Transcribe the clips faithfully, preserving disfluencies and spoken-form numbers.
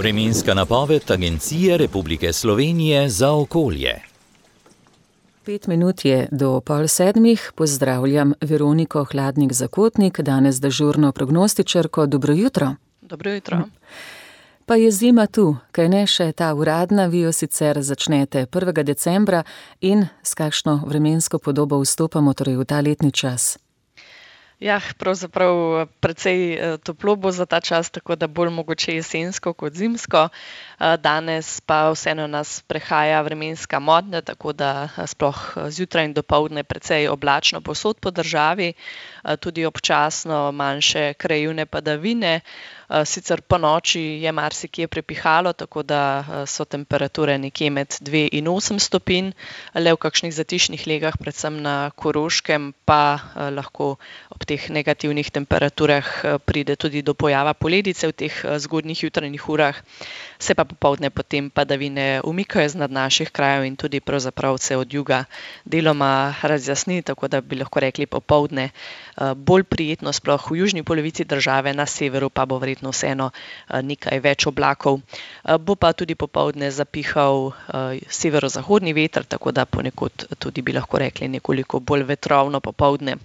Vremenska napoved Agencije Republike Slovenije za okolje. Pet minut je do pol sedmih. Pozdravljam Veroniko Hladnik-Zakotnik, danes dežurno prognostičarko. Dobro jutro. Dobro jutro. Pa je zima tu, kaj ne še ta uradna, vi jo sicer začnete prvega decembra in s kakšno vremensko podobo vstopamo torej v ta letni čas? Ja, pravzaprav precej toplo bo za ta čas, tako da bolj mogoče jesensko kot zimsko. Danes pa vseeno nas prehaja vremenska modnja, tako da sploh zjutraj in dopoldne precej oblačno povsod po državi, tudi občasno manjše krajevne padavine. Sicer po noči je marsikje prepihalo, tako da so temperature nekje med dve in osem stopinj, le v kakšnih zatišnih legah, predvsem na Koroškem, pa lahko ob teh negativnih temperaturah pride tudi do pojava poledice v teh zgodnjih jutranjih urah. Se pa popoldne potem padavine umikajo z nad naših krajev in tudi pravzaprav se od juga deloma razjasni, tako da bi lahko rekli popoldne bolj prijetno, sploh v južni polovici države, na severu pa bo verjetno vseeno nekaj več oblakov. Bo pa tudi popoldne zapihal severozahodni veter, tako da ponekod tudi bi lahko rekli nekoliko bolj vetrovno popoldne.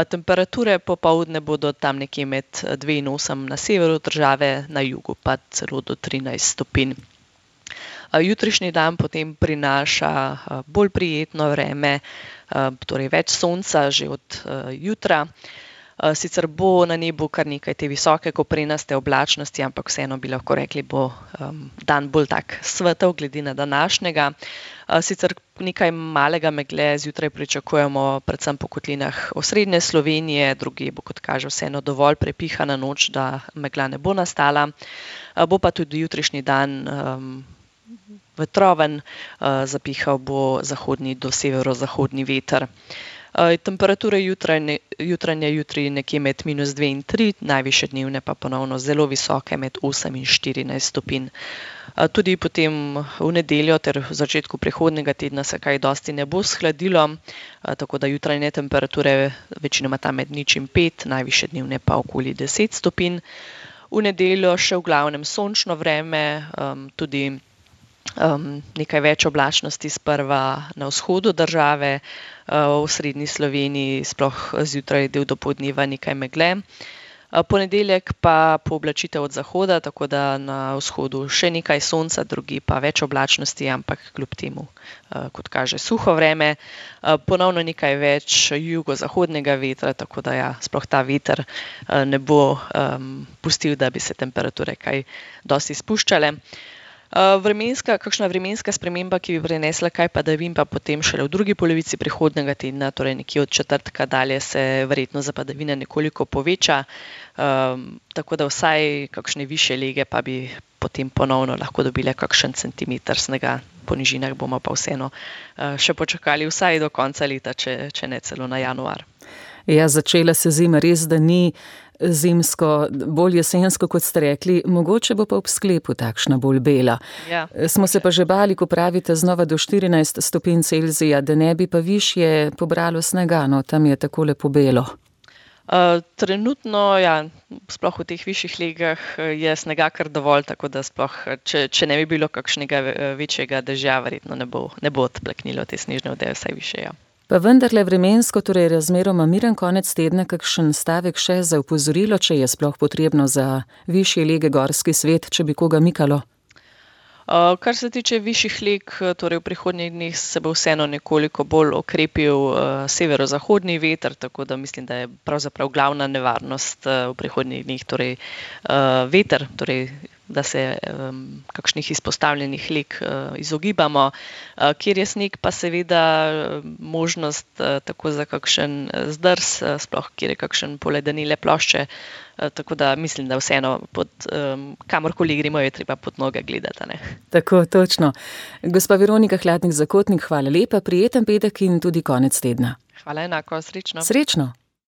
Temperature popoldne bodo tam nekje med dve in osem na severu države, na jugu pa celo do trinajst stopinj. Jutrišnji dan potem prinaša bolj prijetno vreme, torej več sonca že od jutra. Sicer bo na nebu kar nekaj te visoke koprenaste oblačnosti, ampak vseeno bi lahko rekli, bo dan bolj tak svetel glede na današnjega. Sicer nekaj malega megle zjutraj pričakujemo predvsem po kotlinah osrednje Slovenije, drugje bo, kot kaže, vseeno dovolj prepihana noč, da megla ne bo nastala. Bo pa tudi jutrišnji dan um, vetroven, uh, zapihal bo zahodni do severozahodni veter. Uh, temperature jutranje, jutranje jutri nekje med minus dve in tri, najvišje dnevne pa ponovno zelo visoke med osem in štirinajst stopinj. Uh, tudi potem v nedeljo ter v začetku prihodnjega tedna se kaj dosti ne bo shladilo, uh, tako da jutranje temperature večinoma tam med nič in pet, najvišje dnevne pa okoli deset stopinj. V nedeljo še v glavnem sončno vreme, um, tudi um, nekaj več oblačnosti sprva na vzhodu države, uh, v srednji Sloveniji sploh zjutraj del dopoldneva nekaj megle. Ponedeljek pa pooblačitev od zahoda, tako da na vzhodu še nekaj sonca, drugi pa več oblačnosti, ampak kljub temu, kot kaže, suho vreme. Ponovno nekaj več jugozahodnega vetra, tako da ja, sploh ta veter ne bo um, pustil, da bi se temperature kaj dosti spuščale. Vremenska, kakšna vremenska sprememba, ki bi prenesla kaj padavin, pa potem šele v drugi polovici prihodnjega tedna, torej nekje od četrtka dalje, se verjetno za padavine nekoliko poveča, um, tako da vsaj kakšne višje lege pa bi potem ponovno lahko dobile kakšen centimeter snega. Po nižinah bomo pa vseeno uh, še počakali vsaj do konca leta, če, če ne celo na januar. Ja, začela se zima, res da ni zimsko, bolj jesensko, kot ste rekli, mogoče bo pa ob sklepu takšna bolj bela. Ja, Smo se pa že bali, ko pravite znova do štirinajst stopinj Celzija, da ne bi pa višje pobralo snega, no tam je tako lepo belo. Uh, trenutno, ja, sploh v teh višjih legah je snega kar dovolj, tako da sploh, če, če ne bi bilo kakšnega večjega dežja, verjetno ne bo, ne bo odplaknilo te snežne odeje vsaj više, ja. Pa vendarle vremensko, torej razmeroma miren konec tedna, kakšen stavek še za opozorilo, če je sploh potrebno za višje lege gorski svet, če bi koga mikalo? Uh, kar se tiče višjih leg, torej v prihodnjih dneh se bo vseeno nekoliko bolj okrepil uh, severozahodni veter, tako da mislim, da je pravzaprav glavna nevarnost uh, v prihodnjih dneh torej uh, veter, torej da se um, kakšnih izpostavljenih leg uh, izogibamo. Uh, kjer je sneg, pa seveda možnost uh, tako za kakšen zdrs, uh, sploh kjer je kakšen poledenile plošče, uh, tako da mislim, da vseeno pod, um, kamorkoli gremo, je treba pod noge gledati. Ne? Tako, točno. Gospa Veronika Hladnik-Zakotnik, hvala lepa, prijeten petek in tudi konec tedna. Hvala enako, srečno. Srečno.